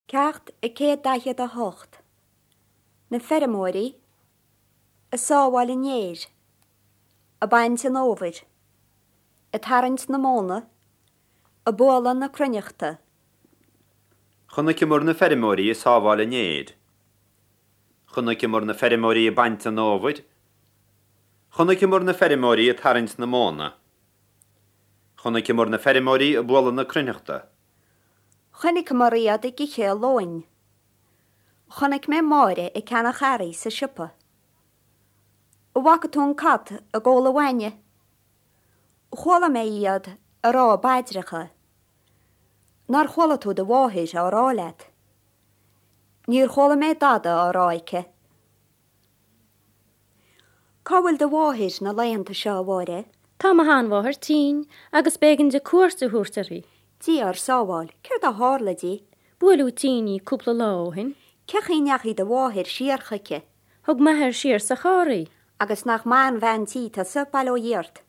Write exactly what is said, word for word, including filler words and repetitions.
Ceacht a céad daichead a hocht. Na feirmeoirí ag sábháil an fhéir, ag baint an fhómhair, ag tarraingt na móna, ag bualadh na cruithneachta. Chonaiceamar na feirmeoirí ag sábháil an fhéir. Chonaiceamar na feirmeoirí ag baint an fhómhair. Chonaiceamar na feirmeoirí ag tarraingt na móna. Chonaiceamar na feirmeoirí ag bualadh na cruithneachta. Chonaiceamar iad ag ithe a lóin. Chonaic mé Máire ag ceannach earraí sa siopa. An bhfaca tú an cat ag ól a bhainne? Chuala mé iad ag rá a bpaidreacha. Nár chuala tú do mháthair á rá leat? Níor chuala mé dada á rá aici. Cá bhfuil do mháthair na laethanta seo, a Mháire? Tá mo sheanmháthair tinn agus b'éigean di cuairt a thabhairt uirthi. Dia ár sábháil, céard a tharla di? Buaileadh tinn í cúpla lá ó shin. Cén chaoi a ndeachaigh do mháthair siar chuici? Thug m'athair siar sa charr í. Agus nach maith an bhean tí tusa, bail ó Dhia ort.